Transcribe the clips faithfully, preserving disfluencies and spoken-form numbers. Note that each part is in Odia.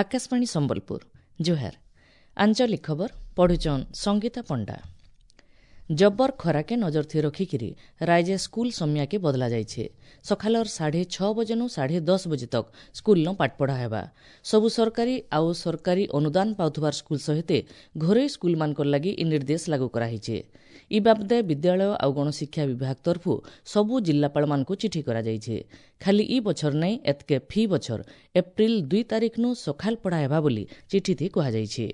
ଆକାଶବାଣୀ ସମ୍ବଲପୁର ଜୁହାର ଆଞ୍ଚଳିକ ଖବର ପଢୁଛନ୍ ସଙ୍ଗୀତା ପଣ୍ଡା ଜବ୍ବର ଖରାକେ ନଜର ଥି ରଖିକିରି ରାଇଜେ ସ୍କୁଲ ସମୟାକେ ବଦଲା ଯାଇଛେ ସକାଳର ସାଢ଼େ ଛଅ ବଜେନୁ ସାଢ଼େ ଦଶ ବଜେ ତକ୍ ସ୍କୁଲନ ପାଠପଢ଼ା ହେବା ସବୁ ସରକାରୀ ଆଉ ସରକାରୀ ଅନୁଦାନ ପାଉଥିବାର ସ୍କୁଲ ସହିତ ଘରୋଇ ସ୍କୁଲମାନଙ୍କର ଲାଗି ଇ ନିର୍ଦ୍ଦେଶ ଲାଗୁ କରାହେଇଛେ ଇ ବାବଦେ ବିଦ୍ୟାଳୟ ଆଉ ଗଣଶିକ୍ଷା ବିଭାଗ ତରଫୁ ସବୁ ଜିଲ୍ଲାପାଳମାନଙ୍କୁ ଚିଠି କରାଯାଇଛେ ଖାଲି ଇ ବଛର ନାଇଁ ଏତ୍କେ ଫି ବଛର ଏପ୍ରିଲ ଦୁଇ ତାରିଖନୁ ସକାଳ ପଢ଼ା ହେବା ବୋଲି ଚିଠିଥି କୁହାଯାଇଛି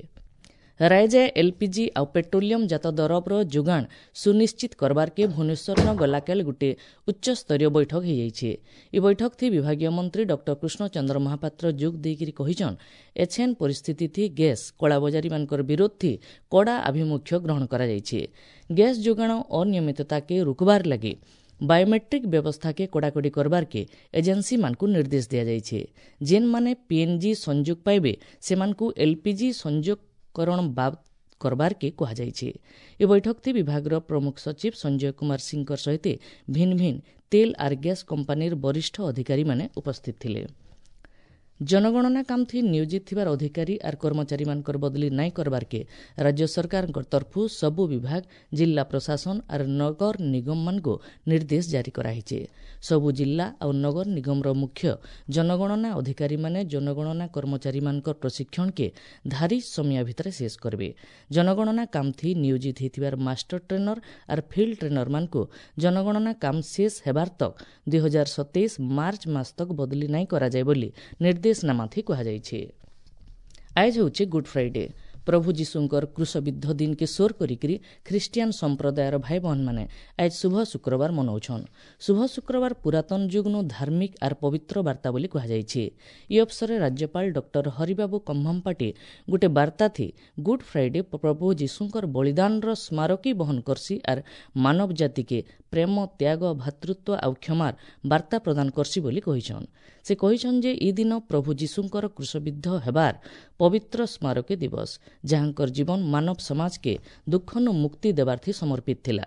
ରାଇଜେ ଏଲ୍ପିଜି ଆଉ ପେଟ୍ରୋଲିୟମ ଜାତ ଦରବର ଯୋଗାଣ ସୁନିଶ୍ଚିତ କରବାର୍କେ ଭୁବନେଶ୍ୱରନ ଗଲାକାଲ ଗୋଟିଏ ଉଚ୍ଚସ୍ତରୀୟ ବୈଠକ ହେଇଯାଇଛେ ଇ ବୈଠକ ଥି ବିଭାଗୀୟ ମନ୍ତ୍ରୀ ଡକ୍ଟର କୃଷ୍ଣଚନ୍ଦ୍ର ମହାପାତ୍ର ଯୋଗ ଦେଇକିରି କହିଛନ୍ ଏଛେନ୍ ପରିସ୍ଥିତି ଥି ଗ୍ୟାସ୍ କଳାବଜାରୀମାନଙ୍କର ବିରୋଧ ଥି କଡ଼ା ଆଭିମୁଖ୍ୟ ଗ୍ରହଣ କରାଯାଇଛେ ଗ୍ୟାସ୍ ଯୋଗାଣ ଅନିୟମିତତାକେ ରୋକବାର ଲାଗି ବାୟୋମେଟ୍ରିକ୍ ବ୍ୟବସ୍ଥାକେ କଡ଼ାକଡ଼ି କରବାର୍କେ ଏଜେନ୍ସିମାନଙ୍କୁ ନିର୍ଦ୍ଦେଶ ଦିଆଯାଇଛେ ଯେନ୍ମାନେ ପିଏନ୍ଜି ସଂଯୋଗ ପାଇବେ ସେମାନଙ୍କୁ ଏଲ୍ପିଜି ସଂଯୋଗ କରଣ ବାବ୍ କରବାର୍କେ କୁହାଯାଇଛି ଏ ବୈଠକଥି ବିଭାଗର ପ୍ରମୁଖ ସଚିବ ସଞ୍ଜୟ କୁମାର ସିଂଙ୍କ ସହିତ ଭିନ୍ନ ଭିନ୍ନ ତେଲ ଆର୍ ଗ୍ୟାସ୍ କମ୍ପାନୀର ବରିଷ୍ଠ ଅଧିକାରୀମାନେ ଉପସ୍ଥିତ ଥିଲେ ଜନଗଣନା କାମଥି ନିୟୋଜିତ ଥିବାର ଅଧିକାରୀ ଆର୍ କର୍ମଚାରୀମାନଙ୍କର ବଦଲି ନାଇଁ କରବାର୍କେ ରାଜ୍ୟ ସରକାରଙ୍କ ତରଫୁ ସବୁ ବିଭାଗ ଜିଲ୍ଲା ପ୍ରଶାସନ ଆର୍ ନଗର ନିଗମମାନଙ୍କୁ ନିର୍ଦ୍ଦେଶ ଜାରି କରାହେଇছে ସବୁ ଜିଲ୍ଲା ଆଉ ନଗର ନିଗମର ମୁଖ୍ୟ ଜନଗଣନା ଅଧିକାରୀମାନେ ଜନଗଣନା କର୍ମଚାରୀମାନଙ୍କର ପ୍ରଶିକ୍ଷଣକେ ଧାରି ସମୟ ଭିତରେ ଶେଷ କରିବେ ଜନଗଣନା କାମଥି ନିୟୋଜିତ ହେଇଥିବାର ମାଷ୍ଟର ଟ୍ରେନର ଆର୍ ଫିଲ୍ଡ ଟ୍ରେନରମାନଙ୍କୁ ଜନଗଣନା କାମ ଶେଷ ହେବାର ତକ୍ ଦୁଇ ହଜାର ସତେଇଶ ମାର୍ଚ୍ଚ ମାସ ତକ୍ ବଦଲି ନାଇଁ କରାଯାଏ ବୋଲି ନିର୍ଦ୍ଦେଶନାମାଥି କୁହାଯାଇଛି ଆଏଜ ହେଉଛି ଗୁଡ୍ ଫ୍ରାଇଡେ ପ୍ରଭୁ ଯୀଶୁଙ୍କର କ୍ରୁଶବିଦ୍ଧ ଦିନକେ ସୋର କରିକିରି ଖ୍ରୀଷ୍ଟିଆନ ସମ୍ପ୍ରଦାୟର ଭାଇ ଭଉଣୀମାନେ ଆଜ ଶୁଭ ଶୁକ୍ରବାର ମନାଉଛନ୍ ଶୁଭ ଶୁକ୍ରବାର ପୁରାତନ ଯୁଗନୁ ଧାର୍ମିକ ଆର୍ ପବିତ୍ର ବାର୍ତ୍ତା ବୋଲି କୁହାଯାଇଛି ଇ ଅବସରରେ ରାଜ୍ୟପାଳ ଡକ୍ଟର ହରିବାବୁ କମ୍ଭମପାଟି ଗୋଟେ ବାର୍ତ୍ତା ଥି ଗୁଡ୍ ଫ୍ରାଇଡେ ପ୍ରଭୁ ଯୀଶୁଙ୍କର ବଳିଦାନର ସ୍ମାରକୀ ବହନ କରସି ଆର୍ ମାନବ ଜାତିକେ ପ୍ରେମ ତ୍ୟାଗ ଭ୍ରାତୃତ୍ୱ ଆଉ କ୍ଷମାର ବାର୍ତ୍ତା ପ୍ରଦାନ କରସି ବୋଲି କହିଛନ୍ ସେ କହିଛନ୍ ଯେ ଇ ଦିନ ପ୍ରଭୁ ଯୀଶୁଙ୍କର କ୍ରୁଶବିଦ୍ଧ ହେବାର ପବିତ୍ର ସ୍ମାରକୀ ଦିବସ ଯାହାଙ୍କର ଜୀବନ ମାନବ ସମାଜକେ ଦୁଃଖନୁ ମୁକ୍ତି ଦେବାର୍ଥି ସମର୍ପିତ ଥିଲା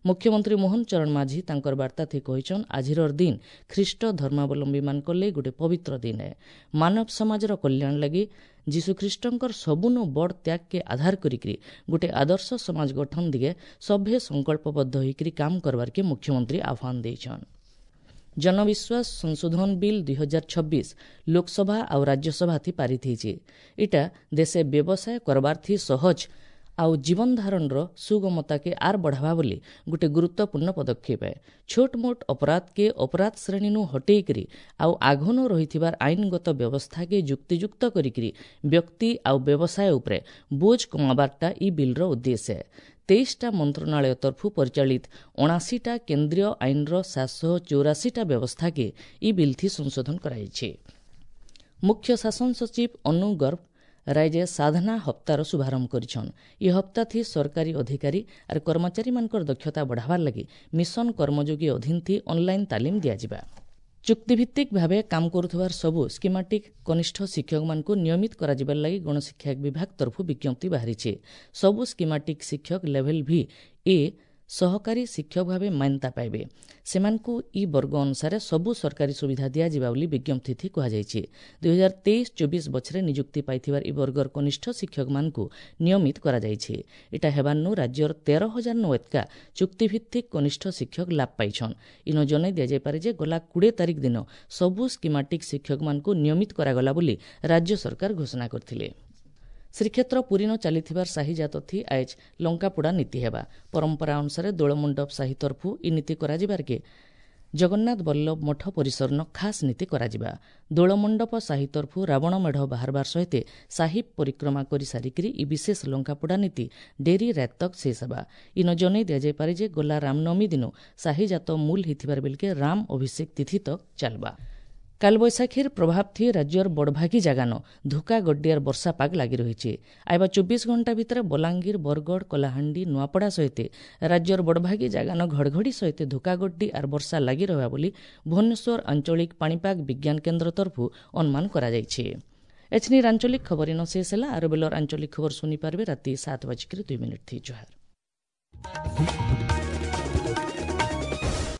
ମୁଖ୍ୟମନ୍ତ୍ରୀ ମୋହନ ଚରଣ ମାଝୀ ତାଙ୍କର ବାର୍ତ୍ତାଥି କହିଛନ୍ ଆଜିର ଦିନ ଖ୍ରୀଷ୍ଟ ଧର୍ମାବଲମ୍ବୀମାନଙ୍କର ଲାଗି ଗୋଟେ ପବିତ୍ର ଦିନ ଏ ମାନବ ସମାଜର କଲ୍ୟାଣ ଲାଗି ଯୀଶୁଖ୍ରୀଷ୍ଟଙ୍କର ସବୁନୁ ବଡ଼ ତ୍ୟାଗକେ ଆଧାର କରିକିରି ଗୋଟେ ଆଦର୍ଶ ସମାଜ ଗଠନ ଦିଗେ ସଭ୍ୟ ସଂକଳ୍ପବଦ୍ଧ ହୋଇକରି କାମ କରବାର୍କେ ମୁଖ୍ୟମନ୍ତ୍ରୀ ଆହ୍ୱାନ ଦେଇଛନ୍ ଜନବିଶ୍ୱାସ ସଂଶୋଧନ ବିଲ୍ ଦୁଇ ହଜାର ଛବିଶ ଲୋକସଭା ଆଉ ରାଜ୍ୟସଭାଥି ପାରିତ ହେଇଛେ ଇଟା ଦେଶେ ବ୍ୟବସାୟ କରବାର୍ଥି ସହଜ ଆଉ ଜୀବନଧାରଣର ସୁଗମତାକେ ଆର୍ ବଢ଼ାବା ବୋଲି ଗୋଟେ ଗୁରୁତ୍ୱପୂର୍ଣ୍ଣ ପଦକ୍ଷେପ ଏ ଛୋଟ ମୋଟ ଅପରାଧକେ ଅପରାଧ ଶ୍ରେଣୀନୁ ହଟେଇକରି ଆଉ ଆଘନୁ ରହିଥିବାର ଆଇନଗତ ବ୍ୟବସ୍ଥାକେ ଯୁକ୍ତିଯୁକ୍ତ କରିକିରି ବ୍ୟକ୍ତି ଆଉ ବ୍ୟବସାୟ ଉପରେ ବୋଝ କମାବାରଟା ଇ ବିଲ୍ର ଉଦ୍ଦେଶ୍ୟ ତେଇଶଟା ମନ୍ତ୍ରଣାଳୟ ତରଫୁ ପରିଚାଳିତ ଅଣାଅଶୀଟା କେନ୍ଦ୍ରୀୟ ଆଇନର ସାତଶହ ଚଉରାଶୀଟା ବ୍ୟବସ୍ଥାକେ ଇ ବିଲ୍ଥି ସଂଶୋଧନ କରାଯାଇଛି ମୁଖ୍ୟ ଶାସନ ସଚିବ ଅନୁ ଗର୍ଗ ରାଇଜେ ସାଧନା ହପ୍ତାର ଶୁଭାରମ୍ଭ କରିଛନ୍ ଇ ହପ୍ତାଥି ସରକାରୀ ଅଧିକାରୀ ଆର୍ କର୍ମଚାରୀମାନଙ୍କର ଦକ୍ଷତା ବଢ଼ାବାର ଲାଗି ମିଶନ କର୍ମଯୋଗୀ ଅଧୀନଥି ଅନ୍ଲାଇନ୍ ତାଲିମ ଦିଆଯିବା ଚୁକ୍ତିଭିତ୍ତିକ ଭାବେ କାମ କରୁଥିବାର ସବୁ ସ୍କିମାଟିକ୍ କନିଷ୍ଠ ଶିକ୍ଷକମାନଙ୍କୁ ନିୟମିତ କରାଯିବାର ଲାଗି ଗଣଶିକ୍ଷା ବିଭାଗ ତରଫୁ ବିଜ୍ଞପ୍ତି ବାହାରିছে ସବୁ ସ୍କିମାଟିକ୍ ଶିକ୍ଷକ ଲେଭେଲ୍ ଭି ଏ ସହକାରୀ ଶିକ୍ଷକ ଭାବେ ମାନ୍ୟତା ପାଇବେ ସେମାନଙ୍କୁ ଇ ବର୍ଗ ଅନୁସାରେ ସବୁ ସରକାରୀ ସୁବିଧା ଦିଆଯିବା ବୋଲି ବିଜ୍ଞପ୍ତିଥି କୁହାଯାଇଛି ଦୁଇ ହଜାର ତେଇଶ ଚବିଶ ବଛରେ ନିଯୁକ୍ତି ପାଇଥିବାର ଇ ବର୍ଗର କନିଷ୍ଠ ଶିକ୍ଷକମାନଙ୍କୁ ନିୟମିତ କରାଯାଇଛି ଏଟା ହେବାର୍ନୁ ରାଜ୍ୟର ତେର ହଜାର ନୁ ଏତକା ଚୁକ୍ତିଭିତ୍ତିକ କନିଷ୍ଠ ଶିକ୍ଷକ ଲାଭ ପାଇଛନ୍ ଇନ ଜଣାଇ ଦିଆଯାଇପାରେ ଯେ ଗଲା କୋଡ଼ିଏ ତାରିଖ ଦିନ ସବୁ ସ୍କିମାଟିକ୍ ଶିକ୍ଷକମାନଙ୍କୁ ନିୟମିତ କରାଗଲା ବୋଲି ରାଜ୍ୟ ସରକାର ଘୋଷଣା କରିଥିଲେ ଶ୍ରୀକ୍ଷେତ୍ର ପୁରୀନ ଚାଲିଥିବାର ସାହିଜାତଥି ଆଏଜ ଲଙ୍କାପୋଡ଼ା ନୀତି ହେବା ପରମ୍ପରା ଅନୁସାରେ ଦୋଳମଣ୍ଡପ ସାହି ତରଫୁ ଇ ନୀତି କରାଯିବାର୍କେ ଜଗନ୍ନାଥ ବଲ୍ଲଭ ମଠ ପରିସରନ ଖାସ୍ ନୀତି କରାଯିବା ଦୋଳମଣ୍ଡପ ସାହି ତରଫୁ ରାବଣ ମେଢ଼ ବାହାରବାର ସହିତ ସାହି ପରିକ୍ରମା କରି ସାରିକିରି ଇ ବିଶେଷ ଲଙ୍କାପୋଡ଼ା ନୀତି ଡେରି ରାତ ତକ୍ ଶେଷ ହେବା ଇନ ଜଣାଇ ଦିଆଯାଇପାରେ ଯେ ଗଲା ରାମନବମୀ ଦିନ ସାହିଜାତ ମୂଲ ହେଇଥିବାର ବେଲକେ ରାମ ଅଭିଷେକ ତିଥି ତକ୍ ଚାଲବା କାଲବୈଶାଖୀର ପ୍ରଭାବଥି ରାଜ୍ୟର ବଡ଼ଭାଗୀ ଜାଗାନ ଧୁକା ଗଡ୍ଡିଆର ବର୍ଷା ପାଗ ଲାଗି ରହିଛି ଆଇବା ଚବିଶ ଘଣ୍ଟା ଭିତରେ ବଲାଙ୍ଗୀର ବରଗଡ଼ କଳାହାଣ୍ଡି ନୂଆପଡ଼ା ସହିତ ରାଜ୍ୟର ବଡ଼ଭାଗୀ ଜାଗାନ ଘଡ଼ଘଡ଼ି ସହିତ ଧୁକା ଗଡ୍ଡି ଆର୍ ବର୍ଷା ଲାଗି ରହିବା ବୋଲି ଭୁବନେଶ୍ୱର ଆଞ୍ଚଳିକ ପାଣିପାଗ ବିଜ୍ଞାନ କେନ୍ଦ୍ର ତରଫରୁ ଅନୁମାନ କରାଯାଇଛି ଏଛନିର ଆଞ୍ଚଳିକ ଖବର ଇନ ଶେଷ ହେଲା ଆର ବେଲର ଆଞ୍ଚଳିକ ଖବର ଶୁଣିପାରିବେ ରାତି ସାତ ବାଜିକିରି ଦୁଇ ମିନିଟ୍ ଥି ଜୁହାର।